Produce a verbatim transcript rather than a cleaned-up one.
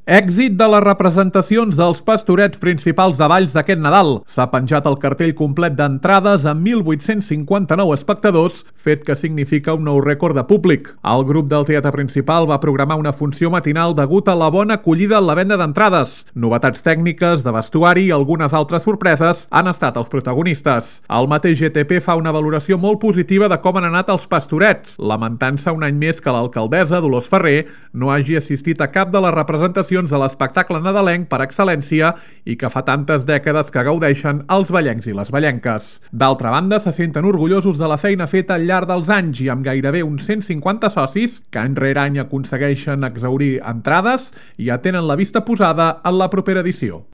Èxit de les representacions dels pastorets principals de Valls d'aquest Nadal. S'ha penjat el cartell complet d'entrades amb mil vuit-cents cinquanta-nou espectadors, fet que significa un nou rècord de públic. El grup del Teatre Principal va programar una funció matinal degut a la bona acollida en la venda d'entrades. Novetats tècniques, de vestuari i algunes altres sorpreses han estat els protagonistes. El mateix G T P fa una valoració molt positiva de com han anat els pastorets, lamentant-se un any més que l'alcaldessa Dolors Ferrer no hagi assistit a cap de les representacions de l'espectacle nadalenc per excel·lència i que fa tantes dècades que gaudeixen els vallencs i les vallenques. D'altra banda, se senten orgullosos de la feina feta al llarg dels anys i amb gairebé uns cent cinquanta socis que any rere any aconsegueixen exhaurir entrades i ja tenen la vista posada en la propera edició.